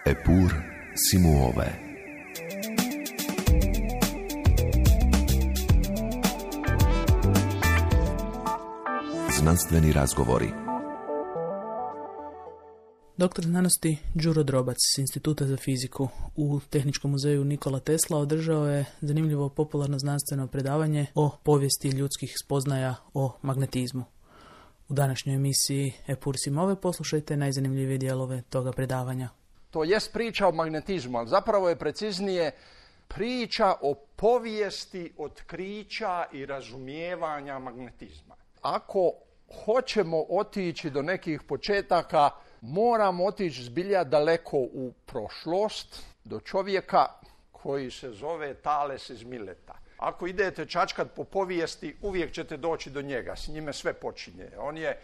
Eppur si muove. Znanstveni razgovori. Doktor znanosti Đuro Drobac s Instituta za fiziku u Tehničkom muzeju Nikola Tesla održao je zanimljivo popularno znanstveno predavanje o povijesti ljudskih spoznaja o magnetizmu. U današnjoj emisiji Eppur si muove poslušajte najzanimljivije dijelove toga predavanja. To jest priča o magnetizmu, ali zapravo je preciznije priča o povijesti otkrića i razumijevanja magnetizma. Ako hoćemo otići do nekih početaka, moramo otići zbilja daleko u prošlost, do čovjeka koji se zove Tales iz Mileta. Ako idete čačkat po povijesti, uvijek ćete doći do njega, s njime sve počinje. On je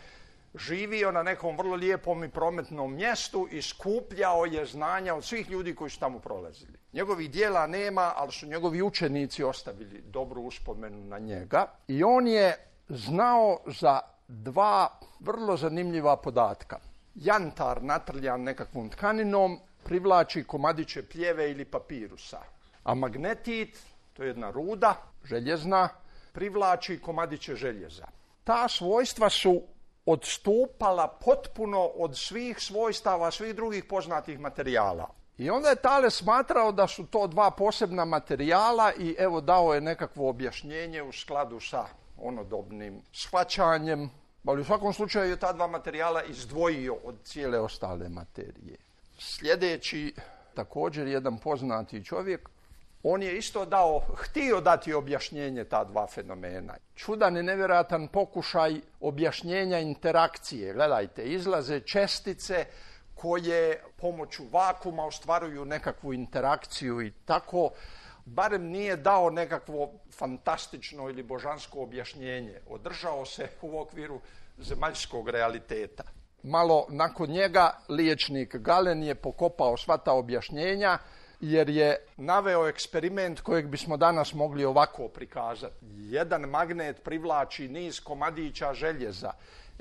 živio na nekom vrlo lijepom i prometnom mjestu i skupljao je znanja od svih ljudi koji su tamo prolazili. Njegovih dijela nema, ali su njegovi učenici ostavili dobru uspomenu na njega. I on je znao za dva vrlo zanimljiva podatka. Jantar natrljan nekakvom tkaninom privlači komadiće pljeve ili papirusa, a magnetit, to je jedna ruda, željezna, privlači komadiće željeza. Ta svojstva su odstupala potpuno od svih svojstava, svih drugih poznatih materijala. I onda je Thales smatrao da su to dva posebna materijala i evo dao je nekakvo objašnjenje u skladu sa onodobnim shvaćanjem, ali u svakom slučaju je ta dva materijala izdvojio od cijele ostale materije. Sljedeći, također jedan poznati čovjek, on je isto htio dati objašnjenje ta dva fenomena. Čudan i nevjerojatan pokušaj objašnjenja interakcije. Gledajte, izlaze čestice koje pomoću vakuma ostvaruju nekakvu interakciju i tako, barem nije dao nekakvo fantastično ili božansko objašnjenje. Održao se u okviru zemaljskog realiteta. Malo nakon njega liječnik Galen je pokopao sva ta objašnjenja jer je naveo eksperiment kojeg bismo danas mogli ovako prikazati. Jedan magnet privlači niz komadića željeza.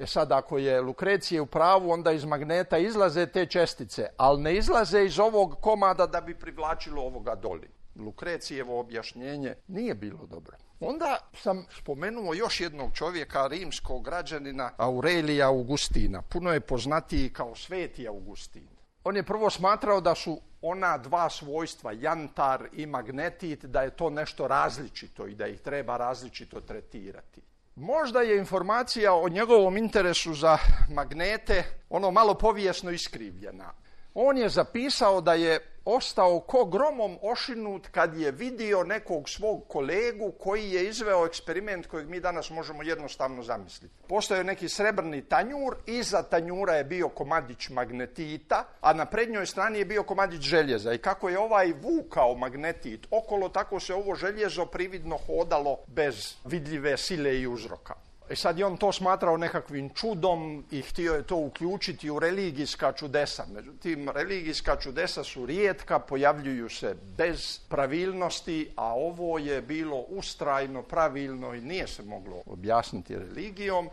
Sad, ako je Lukrecije u pravu, onda iz magneta izlaze te čestice, ali ne izlaze iz ovog komada da bi privlačilo ovoga doli. Lukrecijevo objašnjenje nije bilo dobro. Onda sam spomenuo još jednog čovjeka, rimskog građanina Aurelija Augustina. Puno je poznatiji kao Sveti Augustin. On je prvo smatrao da su ona dva svojstva, jantar i magnetit, da je to nešto različito i da ih treba različito tretirati. Možda je informacija o njegovom interesu za magnete malo povijesno iskrivljena. On je zapisao da je ostao ko gromom ošinut kad je vidio nekog svog kolegu koji je izveo eksperiment kojeg mi danas možemo jednostavno zamisliti. Postojao je neki srebrni tanjur, iza tanjura je bio komadić magnetita, a na prednjoj strani je bio komadić željeza. I kako je ovaj vukao magnetit okolo, tako se ovo željezo prividno hodalo bez vidljive sile i uzroka. Sad je on to smatrao nekakvim čudom i htio je to uključiti u religijska čudesa. Međutim, religijska čudesa su rijetka, pojavljuju se bez pravilnosti, a ovo je bilo ustrajno pravilno i nije se moglo objasniti religijom.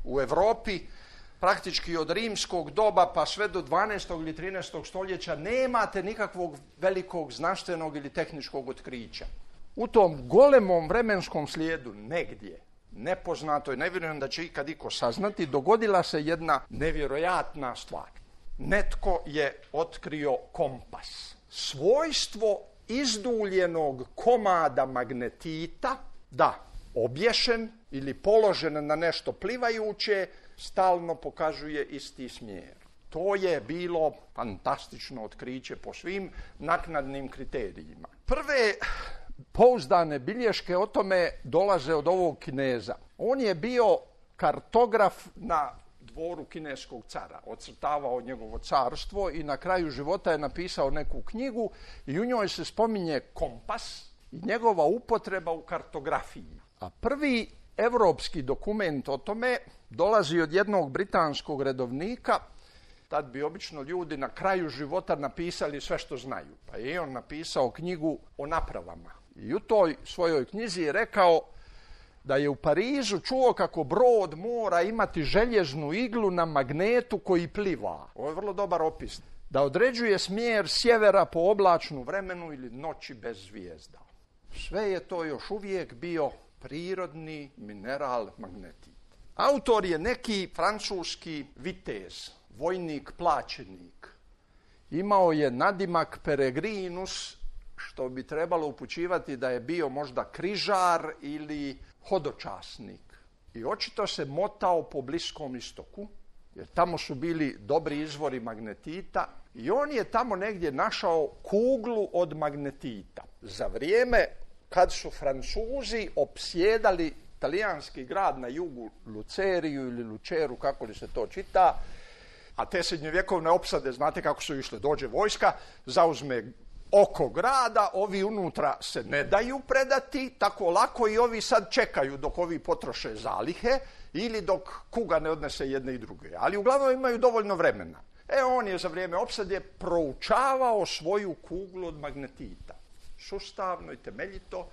U Europi, praktički od rimskog doba pa sve do 12. ili 13. stoljeća, nemate nikakvog velikog znanstvenog ili tehničkog otkrića. U tom golemom vremenskom slijedu negdje, nepoznato i ne vjerujem da će ikad iko saznati, dogodila se jedna nevjerojatna stvar. Netko je otkrio kompas. Svojstvo izduljenog komada magnetita, da, obješen ili položen na nešto plivajuće, stalno pokazuje isti smjer. To je bilo fantastično otkriće po svim naknadnim kriterijima. Prve pouzdane bilješke o tome dolaze od ovog Kineza. On je bio kartograf na dvoru kineskog cara, ocrtavao njegovo carstvo i na kraju života je napisao neku knjigu i u njoj se spominje kompas i njegova upotreba u kartografiji. A prvi europski dokument o tome dolazi od jednog britanskog redovnika. Tad bi obično ljudi na kraju života napisali sve što znaju. Pa je on napisao knjigu o napravama. I u toj svojoj knjizi je rekao da je u Parizu čuo kako brod mora imati željeznu iglu na magnetu koji pliva. Ovo je vrlo dobar opis. Da određuje smjer sjevera po oblačnu vremenu ili noći bez zvijezda. Sve je to još uvijek bio prirodni mineral magnetit. Autor je neki francuski vitez, vojnik plaćenik. Imao je nadimak Peregrinus, što bi trebalo upućivati da je bio možda križar ili hodočasnik. I očito se motao po Bliskom istoku, jer tamo su bili dobri izvori magnetita i on je tamo negdje našao kuglu od magnetita. Za vrijeme kad su Francuzi opsjedali talijanski grad na jugu, Luceriju ili Luceru, kako li se to čita, a te srednjovjekovne opsade, znate kako su išle, dođe vojska, zauzme oko grada, ovi unutra se ne daju predati tako lako i ovi sad čekaju dok ovi potroše zalihe ili dok kuga ne odnese jedne i druge. Ali uglavnom imaju dovoljno vremena. On je za vrijeme opsade proučavao svoju kuglu od magnetita. Sustavno i temeljito.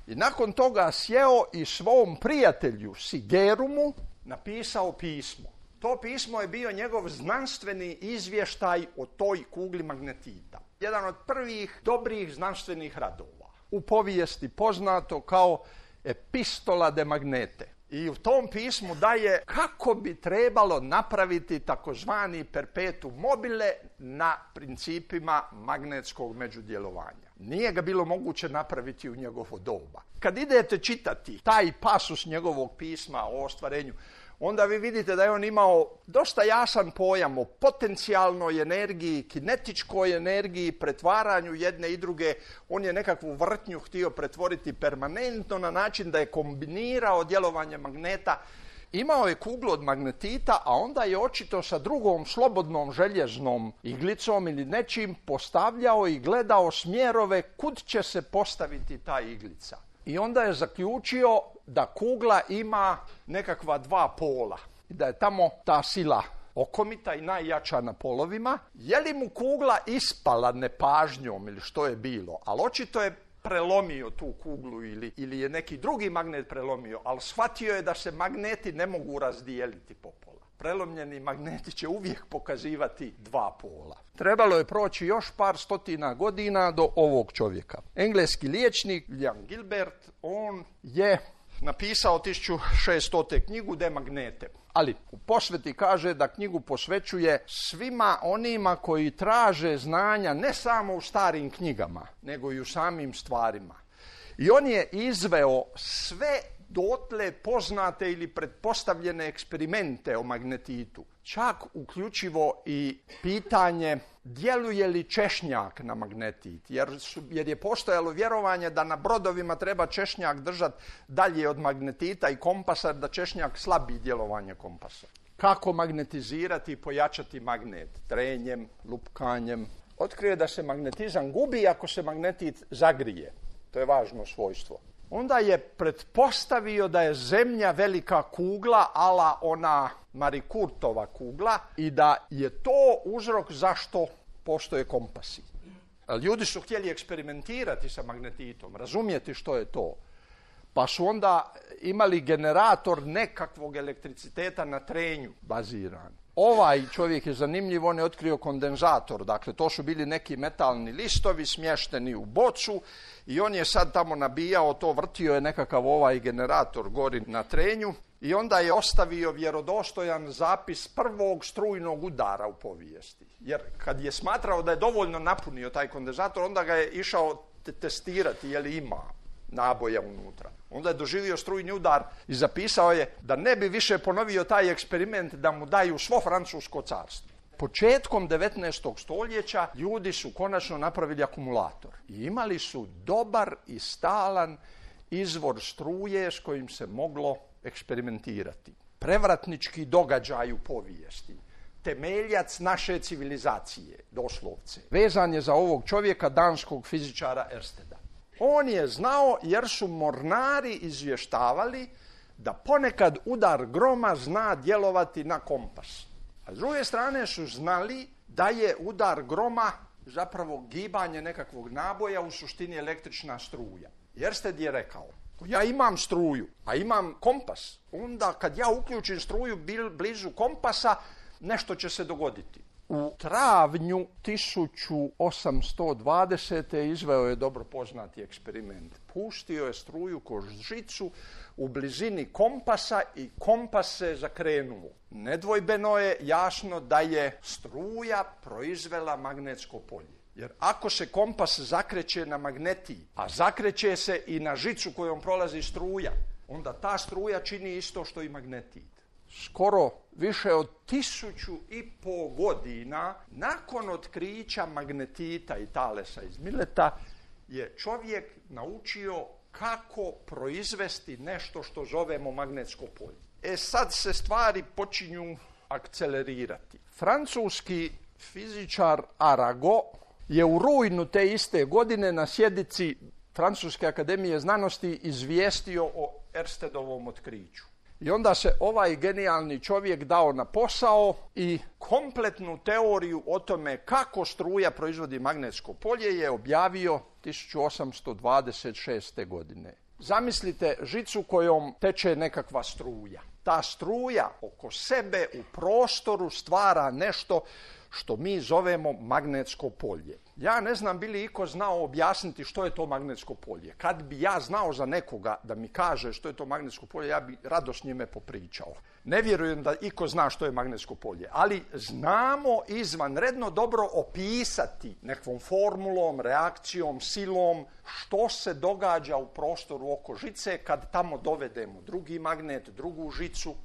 I nakon toga sjeo i svom prijatelju Sigerumu napisao pismo. To pismo je bio njegov znanstveni izvještaj o toj kugli magnetita. Jedan od prvih dobrih znanstvenih radova. U povijesti poznato kao Epistola de Magnete. I u tom pismu daje kako bi trebalo napraviti takozvani perpetuum mobile na principima magnetskog međudjelovanja. Nije ga bilo moguće napraviti u njegovo doba. Kad idete čitati taj pasus njegovog pisma o ostvarenju, onda vi vidite da je on imao dosta jasan pojam o potencijalnoj energiji, kinetičkoj energiji, pretvaranju jedne i druge. On je nekakvu vrtnju htio pretvoriti permanentno na način da je kombinirao djelovanje magneta. Imao je kuglu od magnetita, a onda je očito sa drugom slobodnom željeznom iglicom ili nečim postavljao i gledao smjerove kud će se postaviti ta iglica. I onda je zaključio da kugla ima nekakva dva pola i da je tamo ta sila okomita i najjača na polovima. Je li mu kugla ispala nepažnjom ili što je bilo, ali očito je prelomio tu kuglu ili je neki drugi magnet prelomio, ali shvatio je da se magneti ne mogu razdijeliti po pola. Prelomljeni magneti će uvijek pokazivati dva pola. Trebalo je proći još par stotina godina do ovog čovjeka. Engleski liječnik William Gilbert, on je napisao 1600. knjigu De Magnete. Ali u posveti kaže da knjigu posvećuje svima onima koji traže znanja ne samo u starim knjigama, nego i u samim stvarima. I on je izveo sve dotle poznate ili pretpostavljene eksperimente o magnetitu, čak uključivo i pitanje djeluje li češnjak na magnetit, jer je postojalo vjerovanje da na brodovima treba češnjak držati dalje od magnetita i kompasa, da češnjak slabi djelovanje kompasa. Kako magnetizirati i pojačati magnet? Trenjem, lupkanjem. Otkrije da se magnetizam gubi ako se magnetit zagrije. To je važno svojstvo. Onda je pretpostavio da je Zemlja velika kugla, ala ona Marie Curtova kugla, i da je to uzrok zašto postoje kompasi. Ljudi su htjeli eksperimentirati sa magnetitom, razumjeti što je to. Pa su onda imali generator nekakvog elektriciteta na trenju baziran. Ovaj čovjek je zanimljiv, on je otkrio kondenzator, dakle to su bili neki metalni listovi smješteni u bocu i on je sad tamo nabijao to, vrtio je nekakav ovaj generator gori na trenju i onda je ostavio vjerodostojan zapis prvog strujnog udara u povijesti. Jer kad je smatrao da je dovoljno napunio taj kondenzator, onda ga je išao testirati je li ima naboja unutra. Onda je doživio strujni udar i zapisao je da ne bi više ponovio taj eksperiment da mu daju svo Francusko carstvo. Početkom 19. stoljeća ljudi su konačno napravili akumulator i imali su dobar i stalan izvor struje s kojim se moglo eksperimentirati. Prevratnički događaj u povijesti. Temeljac naše civilizacije, doslovce. Vezan je za ovog čovjeka, danskog fizičara Ersteda. On je znao jer su mornari izvještavali da ponekad udar groma zna djelovati na kompas. A s druge strane su znali da je udar groma zapravo gibanje nekakvog naboja, u suštini električna struja. Ersted je rekao, Ja imam struju, a imam kompas. Onda kad ja uključim struju blizu kompasa, nešto će se dogoditi. U travnju 1820. izveo je dobro poznati eksperiment. Pustio je struju kroz žicu u blizini kompasa i kompas se zakrenuo. Nedvojbeno je jasno da je struja proizvela magnetsko polje. Jer ako se kompas zakreće na magnetiji, a zakreće se i na žicu kojom prolazi struja, onda ta struja čini isto što i magnetit. Skoro više od 1500 godina nakon otkrića magnetita i talesa iz Mileta je čovjek naučio kako proizvesti nešto što zovemo magnetsko polje. Sad se stvari počinju akcelerirati. Francuski fizičar Arago je u rujnu te iste godine na sjednici Francuske akademije znanosti izvijestio o Erstedovom otkriću. I onda se ovaj genijalni čovjek dao na posao i kompletnu teoriju o tome kako struja proizvodi magnetsko polje je objavio 1826. godine. Zamislite žicu kojom teče nekakva struja. Ta struja oko sebe u prostoru stvara nešto što mi zovemo magnetsko polje. Ja ne znam bi li iko znao objasniti što je to magnetsko polje. Kad bi ja znao za nekoga da mi kaže što je to magnetsko polje, ja bi rado s njime popričao. Ne vjerujem da iko zna što je magnetsko polje, ali znamo izvanredno dobro opisati nekakvom formulom, reakcijom, silom što se događa u prostoru oko žice kad tamo dovedemo drugi magnet, drugu žicu.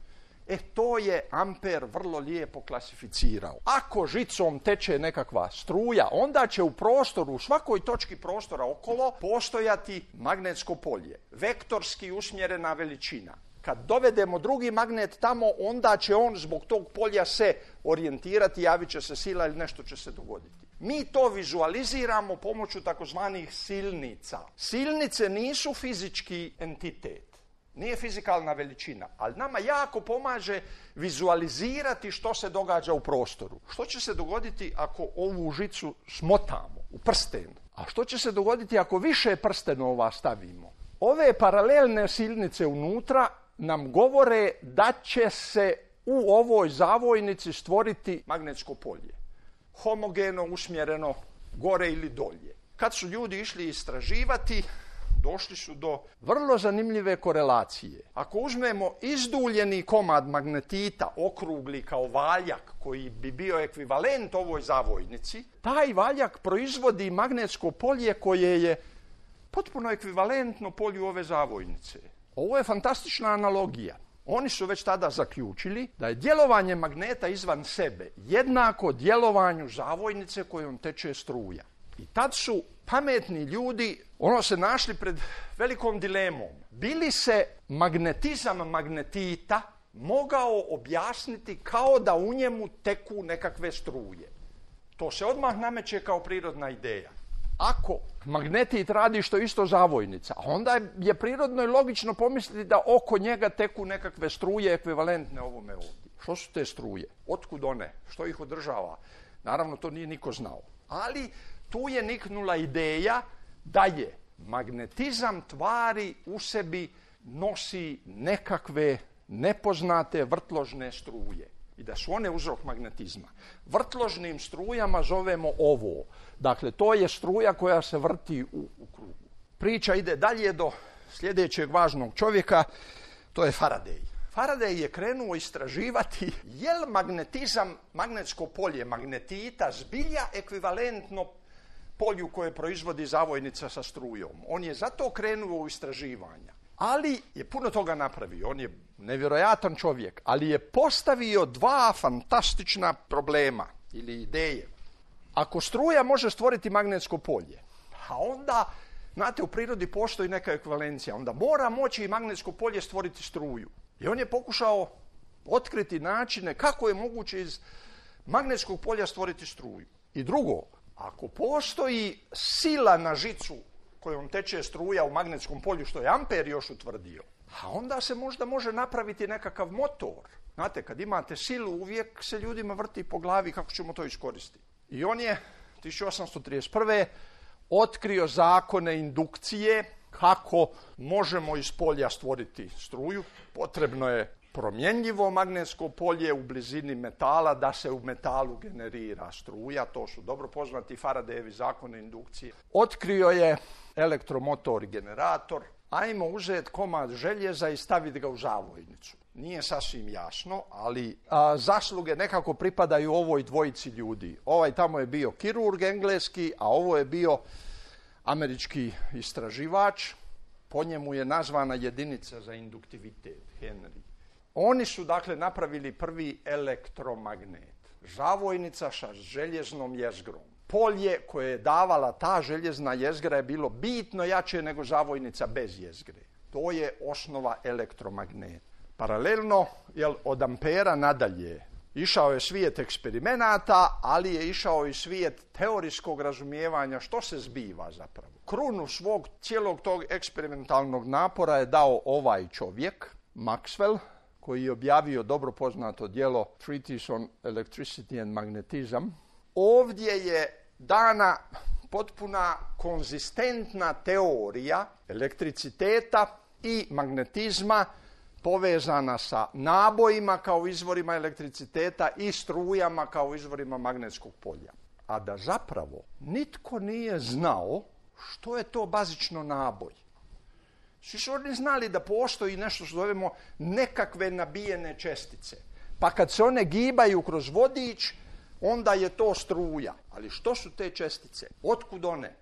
To je Amper vrlo lijepo klasificirao. Ako žicom teče nekakva struja, onda će u prostoru, u svakoj točki prostora okolo, postojati magnetsko polje. Vektorski usmjerena veličina. Kad dovedemo drugi magnet tamo, onda će on zbog tog polja se orijentirati, javit će se sila ili nešto će se dogoditi. Mi to vizualiziramo pomoću takozvanih silnica. Silnice nisu fizički entitet. Nije fizikalna veličina, ali nama jako pomaže vizualizirati što se događa u prostoru. Što će se dogoditi ako ovu žicu smotamo u prsten? A što će se dogoditi ako više prstenova stavimo? Ove paralelne silnice unutra nam govore da će se u ovoj zavojnici stvoriti magnetsko polje. Homogeno, usmjereno, gore ili dolje. Kad su ljudi išli istraživati, došli su do vrlo zanimljive korelacije. Ako uzmemo izduljeni komad magnetita, okrugli kao valjak, koji bi bio ekvivalent ovoj zavojnici, taj valjak proizvodi magnetsko polje koje je potpuno ekvivalentno polju ove zavojnice. Ovo je fantastična analogija. Oni su već tada zaključili da je djelovanje magneta izvan sebe jednako djelovanju zavojnice kojom teče struja. I tad su pametni ljudi se našli pred velikom dilemom. Bi li se magnetizam magnetita mogao objasniti kao da u njemu teku nekakve struje? To se odmah nameće kao prirodna ideja. Ako magnetit radi što isto zavojnica, onda je prirodno i logično pomisliti da oko njega teku nekakve struje ekvivalentne ovome ovdje. Što su te struje? Otkud one? Što ih održava? Naravno, to nije niko znao. Ali tu je niknula ideja da je magnetizam tvari u sebi nosi nekakve nepoznate vrtložne struje i da su one uzrok magnetizma. Vrtložnim strujama zovemo ovo. Dakle, to je struja koja se vrti u krugu. Priča ide dalje do sljedećeg važnog čovjeka, to je Faraday. Faraday je krenuo istraživati je li magnetizam, magnetsko polje magnetita zbilja ekvivalentno polju koje proizvodi zavojnica sa strujom. On je zato krenuo u istraživanja. Ali je puno toga napravio. On je nevjerojatan čovjek, ali je postavio dva fantastična problema ili ideje. Ako struja može stvoriti magnetsko polje, a onda, znate, u prirodi postoji neka ekvivalencija, onda mora moći i magnetsko polje stvoriti struju. I on je pokušao otkriti načine kako je moguće iz magnetskog polja stvoriti struju. I drugo, ako postoji sila na žicu kojom teče struja u magnetskom polju, što je Amper još utvrdio, a onda se možda može napraviti nekakav motor. Znate, kad imate silu, uvijek se ljudima vrti po glavi kako ćemo to iskoristiti. I on je 1831. otkrio zakone indukcije kako možemo iz polja stvoriti struju. Potrebno je promjenjivo magnetsko polje u blizini metala da se u metalu generira struja. To su dobro poznati Faradayevi zakoni indukcije. Otkrio je elektromotor i generator. Ajmo uzeti komad željeza i staviti ga u zavojnicu. Nije sasvim jasno, ali zasluge nekako pripadaju ovoj dvojici ljudi. Ovaj tamo je bio kirurg engleski, a ovo je bio američki istraživač. Po njemu je nazvana jedinica za induktivitet, Henry. Oni su dakle napravili prvi elektromagnet. Zavojnica sa željeznom jezgrom. Polje koje je davala ta željezna jezgra je bilo bitno jače nego zavojnica bez jezgre. To je osnova elektromagneta. Paralelno, od Ampera nadalje, išao je svijet eksperimenata, ali je išao i svijet teorijskog razumijevanja što se zbiva zapravo. Krunu svog cijelog tog eksperimentalnog napora je dao ovaj čovjek, Maxwell, koji je objavio dobro poznato djelo Treatise on Electricity and Magnetism. Ovdje je dana potpuna konzistentna teorija elektriciteta i magnetizma povezana sa nabojima kao izvorima elektriciteta i strujama kao izvorima magnetskog polja. A da zapravo nitko nije znao što je to bazično naboj. Svi su oni znali da postoji nešto što zovemo nekakve nabijene čestice. Pa kad se one gibaju kroz vodič, onda je to struja. Ali što su te čestice? Otkud one?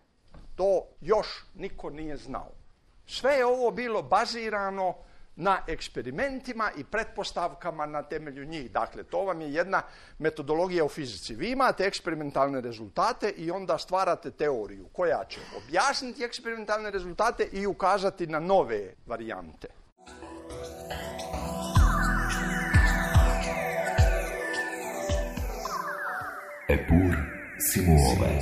To još niko nije znao. Sve je ovo bilo bazirano na eksperimentima i pretpostavkama na temelju njih. Dakle, to vam je jedna metodologija u fizici. Vi imate eksperimentalne rezultate i onda stvarate teoriju koja će objasniti eksperimentalne rezultate i ukazati na nove varijante. Epur Simuove.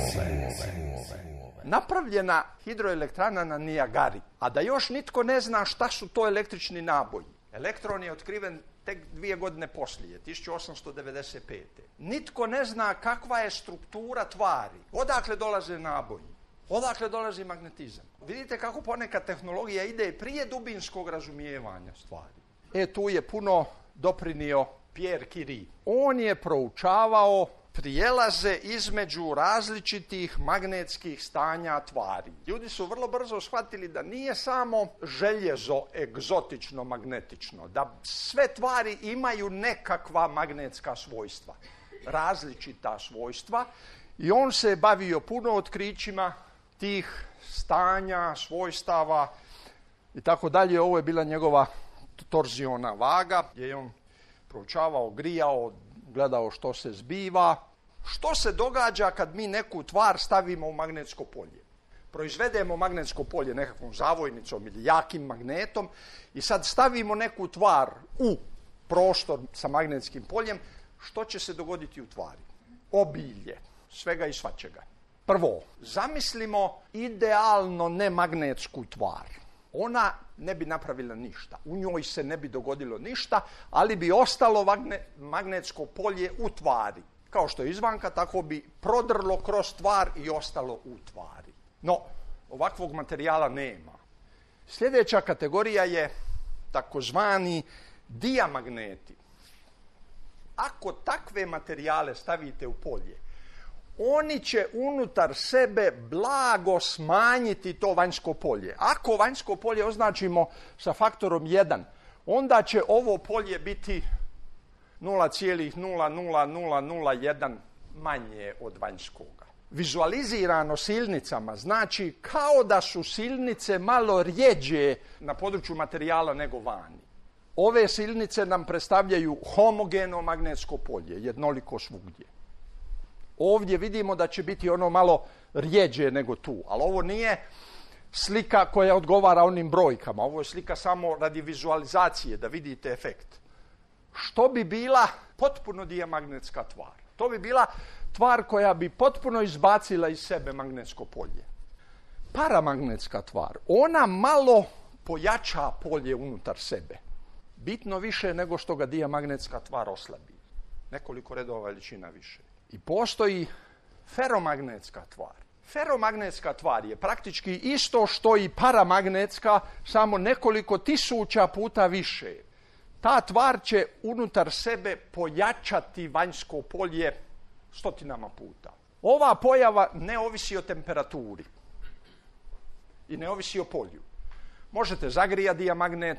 Napravljena hidroelektrana na Nijagari, a da još nitko ne zna šta su to električni naboji. Elektron je otkriven tek 2 godine poslije, 1895. Nitko ne zna kakva je struktura tvari, odakle dolaze naboji, odakle dolazi magnetizam. Vidite kako ponekad tehnologija ide prije dubinskog razumijevanja stvari. Tu je puno doprinio Pierre Curie. On je proučavao prijelaze između različitih magnetskih stanja tvari. Ljudi su vrlo brzo shvatili da nije samo željezo egzotično magnetično, da sve tvari imaju nekakva magnetska svojstva, različita svojstva, i on se bavio puno otkrićima tih stanja, svojstava i tako dalje. Ovo je bila njegova torziona vaga, gdje je on proučavao, grijao, gledao što se zbiva, što se događa kad mi neku tvar stavimo u magnetsko polje. Proizvedemo magnetsko polje nekakvom zavojnicom ili jakim magnetom i sad stavimo neku tvar u prostor sa magnetskim poljem. Što će se dogoditi u tvari? Obilje svega i svačega. Prvo, zamislimo idealno nemagnetsku tvar. Ona ne bi napravila ništa, u njoj se ne bi dogodilo ništa, ali bi ostalo magnetsko polje u tvari. Kao što je izvanka, tako bi prodrlo kroz tvar i ostalo u tvari. No, ovakvog materijala nema. Sljedeća kategorija je takozvani diamagneti. Ako takve materijale stavite u polje, oni će unutar sebe blago smanjiti to vanjsko polje. Ako vanjsko polje označimo sa faktorom 1, onda će ovo polje biti 0,00001 manje od vanjskoga. Vizualizirano silnicama znači kao da su silnice malo rjeđe na području materijala nego vani. Ove silnice nam predstavljaju homogeno magnetsko polje, jednoliko svugdje. Ovdje vidimo da će biti ono malo rjeđe nego tu, ali ovo nije slika koja odgovara onim brojkama. Ovo je slika samo radi vizualizacije, da vidite efekt. Što bi bila potpuno diamagnetska tvar? To bi bila tvar koja bi potpuno izbacila iz sebe magnetsko polje. Paramagnetska tvar, ona malo pojača polje unutar sebe. Bitno više nego što ga diamagnetska tvar oslabi. Nekoliko redova veličina više. I postoji feromagnetska tvar. Feromagnetska tvar je praktički isto što i paramagnetska, samo nekoliko tisuća puta više. Ta tvar će unutar sebe pojačati vanjsko polje stotinama puta. Ova pojava ne ovisi o temperaturi i ne ovisi o polju. Možete zagrijati dijamagnet,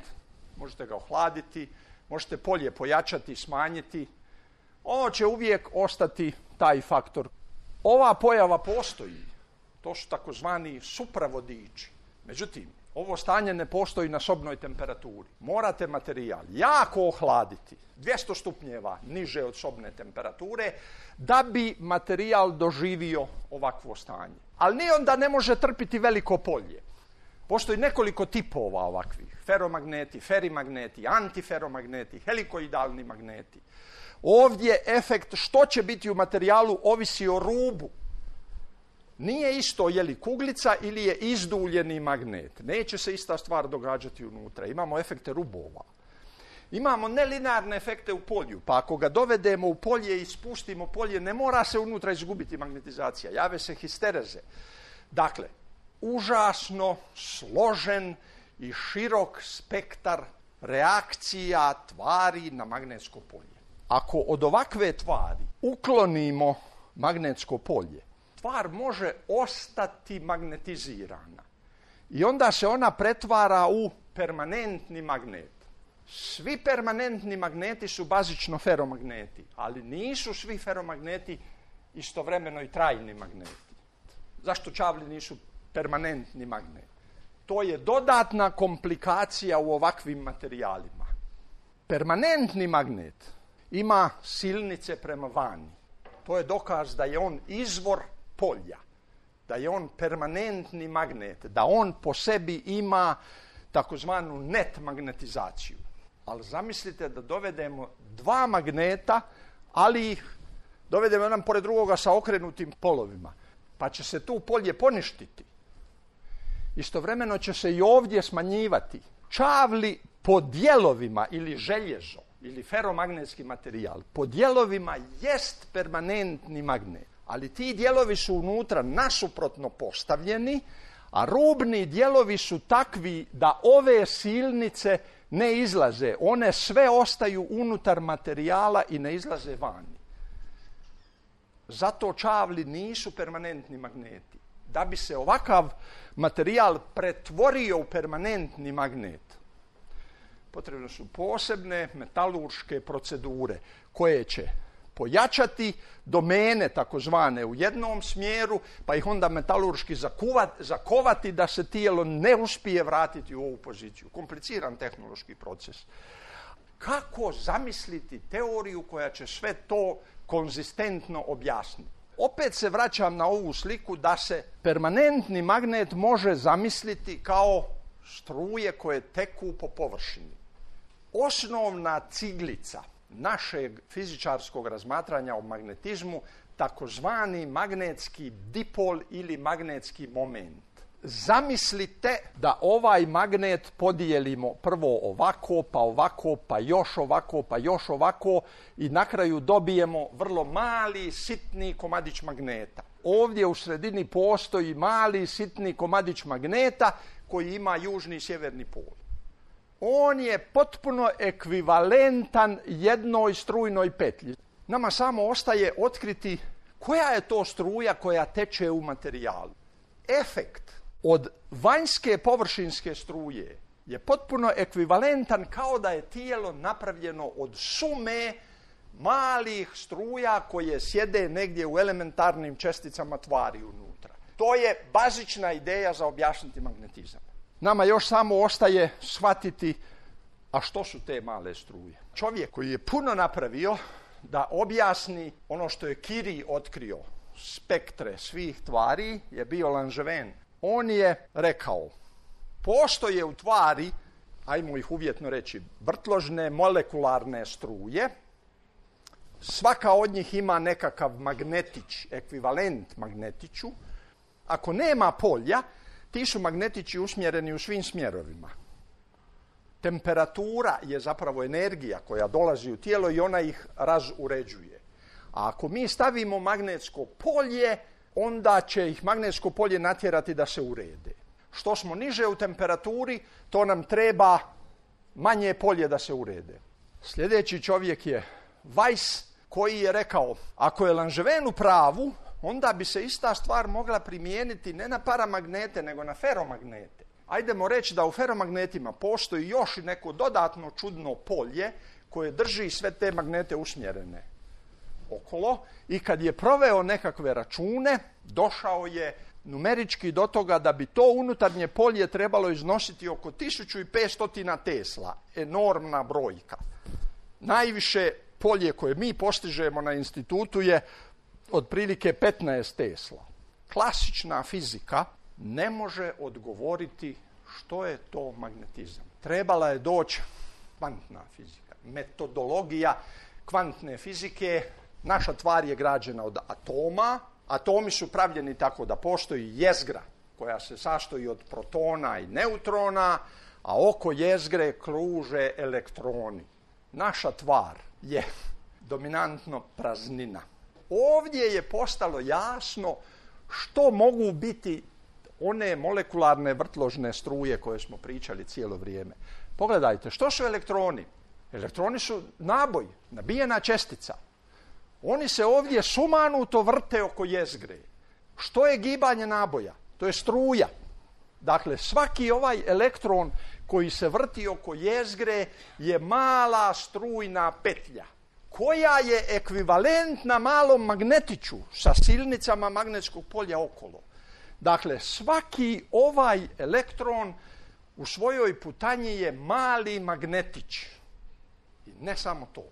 možete ga ohladiti, možete polje pojačati, smanjiti. Ovo će uvijek ostati taj faktor. Ova pojava postoji. To su takozvani supravodiči. Međutim, ovo stanje ne postoji na sobnoj temperaturi. Morate materijal jako ohladiti, 200 stupnjeva niže od sobne temperature, da bi materijal doživio ovakvo stanje. Ali ni onda ne može trpiti veliko polje. Postoji nekoliko tipova ovakvih. Feromagneti, ferimagneti, antiferomagneti, helikoidalni magneti. Ovdje efekt što će biti u materijalu ovisi o rubu. Nije isto je li kuglica ili je izduljeni magnet. Neće se ista stvar događati unutra. Imamo efekte rubova. Imamo nelinearne efekte u polju, pa ako ga dovedemo u polje i spustimo polje, ne mora se unutra izgubiti magnetizacija. Jave se histereze. Dakle, užasno složen i širok spektar reakcija tvari na magnetsko polje. Ako od ovakve tvari uklonimo magnetsko polje, tvar može ostati magnetizirana i onda se ona pretvara u permanentni magnet. Svi permanentni magneti su bazično feromagneti, ali nisu svi feromagneti istovremeno i trajni magneti. Zašto čavli nisu permanentni magnet? To je dodatna komplikacija u ovakvim materijalima. Permanentni magnet ima silnice prema vani. To je dokaz da je on izvor polja, da je on permanentni magnet, da on po sebi ima takozvanu net magnetizaciju. Ali zamislite da dovedemo dva magneta, ali ih dovedemo jedan pored drugoga sa okrenutim polovima, pa će se tu polje poništiti. Istovremeno će se i ovdje smanjivati. Čavli po dijelovima ili željezo ili feromagnetski materijal po dijelovima jest permanentni magnet, ali ti dijelovi su unutra nasuprotno postavljeni, a rubni dijelovi su takvi da ove silnice ne izlaze. One sve ostaju unutar materijala i ne izlaze vani. Zato čavli nisu permanentni magneti. Da bi se ovakav materijal pretvorio u permanentni magnet, potrebne su posebne metalurške procedure koje će pojačati domene takozvane u jednom smjeru, pa ih onda metalurški zakovati da se tijelo ne uspije vratiti u ovu poziciju. Kompliciran tehnološki proces. Kako zamisliti teoriju koja će sve to konzistentno objasniti? Opet se vraćam na ovu sliku da se permanentni magnet može zamisliti kao struje koje teku po površini. Osnovna ciglica našeg fizičarskog razmatranja o magnetizmu, takozvani magnetski dipol ili magnetski moment. Zamislite da ovaj magnet podijelimo prvo ovako, pa ovako, pa još ovako, pa još ovako i na kraju dobijemo vrlo mali, sitni komadić magneta. Ovdje u sredini postoji mali, sitni komadić magneta koji ima južni i sjeverni pol. On je potpuno ekvivalentan jednoj strujnoj petlji. Nama samo ostaje otkriti koja je to struja koja teče u materijalu. Efekt od vanjske površinske struje je potpuno ekvivalentan kao da je tijelo napravljeno od sume malih struja koje sjede negdje u elementarnim česticama tvari unutra. To je bazična ideja za objasniti magnetizam. Nama još samo ostaje shvatiti, a što su te male struje. Čovjek koji je puno napravio da objasni ono što je Curie otkrio, spektre svih tvari, je bio Langevin. On je rekao, postoje u tvari, ajmo ih uvjetno reći, vrtložne molekularne struje, svaka od njih ima nekakav magnetić, ekvivalent magnetiću. Ako nema polja, ti su magnetići usmjereni u svim smjerovima. Temperatura je zapravo energija koja dolazi u tijelo i ona ih razuređuje. A ako mi stavimo magnetsko polje, onda će ih magnetsko polje natjerati da se urede. Što smo niže u temperaturi, to nam treba manje polje da se urede. Sljedeći čovjek je Weiss, koji je rekao, ako je Langevin u pravu, onda bi se ista stvar mogla primijeniti ne na paramagnete, nego na feromagnete. Ajdemo reći da u feromagnetima postoji još i neko dodatno čudno polje koje drži sve te magnete usmjerene okolo i kad je proveo nekakve račune, došao je numerički do toga da bi to unutarnje polje trebalo iznositi oko 1500 Tesla. Enormna brojka. Najviše polje koje mi postižemo na institutu je otprilike 15 Tesla. Klasična fizika ne može odgovoriti što je to magnetizam. Trebala je doći kvantna fizika. Metodologija kvantne fizike, naša tvar je građena od atoma. Atomi su pravljeni tako da postoji jezgra koja se sastoji od protona i neutrona, a oko jezgre kruže elektroni. Naša tvar je dominantno praznina. Ovdje je postalo jasno što mogu biti one molekularne vrtložne struje koje smo pričali cijelo vrijeme. Pogledajte, što su elektroni? Elektroni su naboj, nabijena čestica. Oni se ovdje sumanuto vrte oko jezgre. Što je gibanje naboja? To je struja. Dakle, svaki ovaj elektron koji se vrti oko jezgre je mala strujna petlja, koja je ekvivalentna malom magnetiću sa silnicama magnetskog polja okolo. Dakle, svaki ovaj elektron u svojoj putanji je mali magnetić. I ne samo to.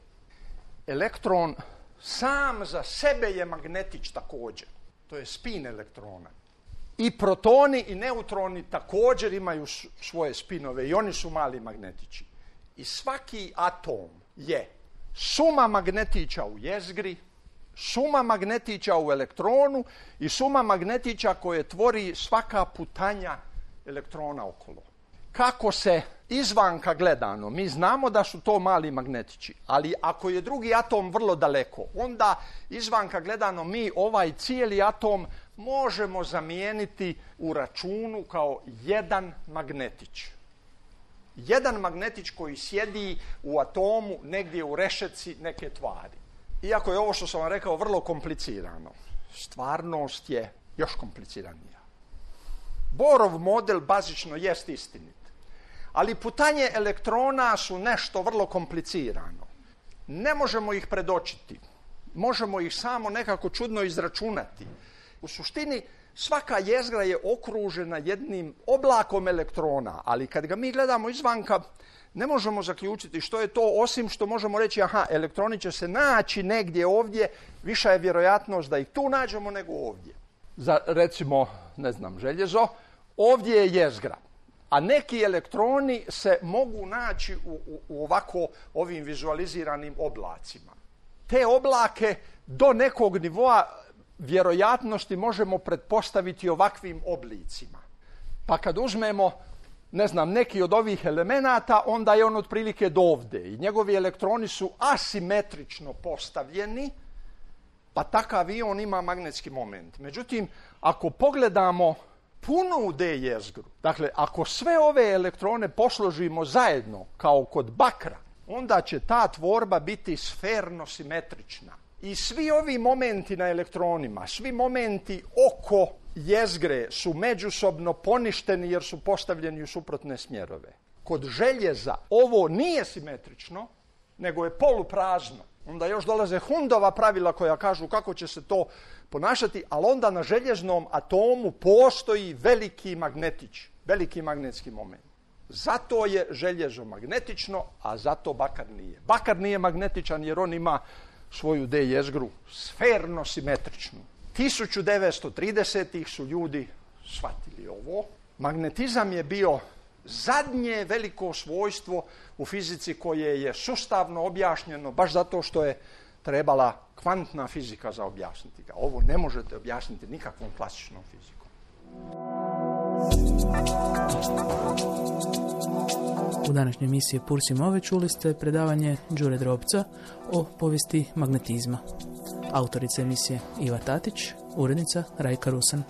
Elektron sam za sebe je magnetić također. To je spin elektrona. I protoni i neutroni također imaju svoje spinove i oni su mali magnetići. I svaki atom je suma magnetića u jezgri, suma magnetića u elektronu i suma magnetića koje tvori svaka putanja elektrona okolo. Kako se izvanka gledano, mi znamo da su to mali magnetići, ali ako je drugi atom vrlo daleko, onda izvanka gledano mi ovaj cijeli atom možemo zamijeniti u računu kao jedan magnetić. Jedan magnetić koji sjedi u atomu negdje u rešetci neke tvari. Iako je ovo što sam vam rekao vrlo komplicirano, stvarnost je još kompliciranija. Bohrov model bazično jest istinit, ali putanje elektrona su nešto vrlo komplicirano. Ne možemo ih predočiti, možemo ih samo nekako čudno izračunati. U suštini svaka jezgra je okružena jednim oblakom elektrona, ali kad ga mi gledamo izvanka, ne možemo zaključiti što je to, osim što možemo reći, aha, elektroni će se naći negdje ovdje, viša je vjerojatnost da ih tu nađemo nego ovdje. Za, recimo, ne znam, željezo, ovdje je jezgra, a neki elektroni se mogu naći u ovako ovim vizualiziranim oblacima. Te oblake do nekog nivoa vjerojatnosti možemo pretpostaviti ovakvim oblicima. Pa kad uzmemo, ne znam, neki od ovih elemenata, onda je on otprilike do ovdje i njegovi elektroni su asimetrično postavljeni, pa takav i on ima magnetski moment. Međutim, ako pogledamo punu D jezgru, dakle, ako sve ove elektrone posložimo zajedno, kao kod bakra, onda će ta tvorba biti sferno-simetrična. I svi ovi momenti na elektronima, svi momenti oko jezgre su međusobno poništeni jer su postavljeni u suprotne smjerove. Kod željeza ovo nije simetrično, nego je poluprazno. Onda još dolaze Hundova pravila koja kažu kako će se to ponašati, ali onda na željeznom atomu postoji veliki magnetić, veliki magnetski moment. Zato je željezo magnetično, a zato bakar nije. Bakar nije magnetičan jer on ima svoju D jezgru sferno-simetričnu. 1930-ih su ljudi shvatili ovo. Magnetizam je bio zadnje veliko svojstvo u fizici koje je sustavno objašnjeno baš zato što je trebala kvantna fizika za objasniti ga. Ovo ne možete objasniti nikakvom klasičnom fizikom. U današnjoj emisiji Purs Move čuli ste predavanje Đure Drobca o povijesti magnetizma. Autorica emisije Iva Tatić, urednica Rajka Rusan.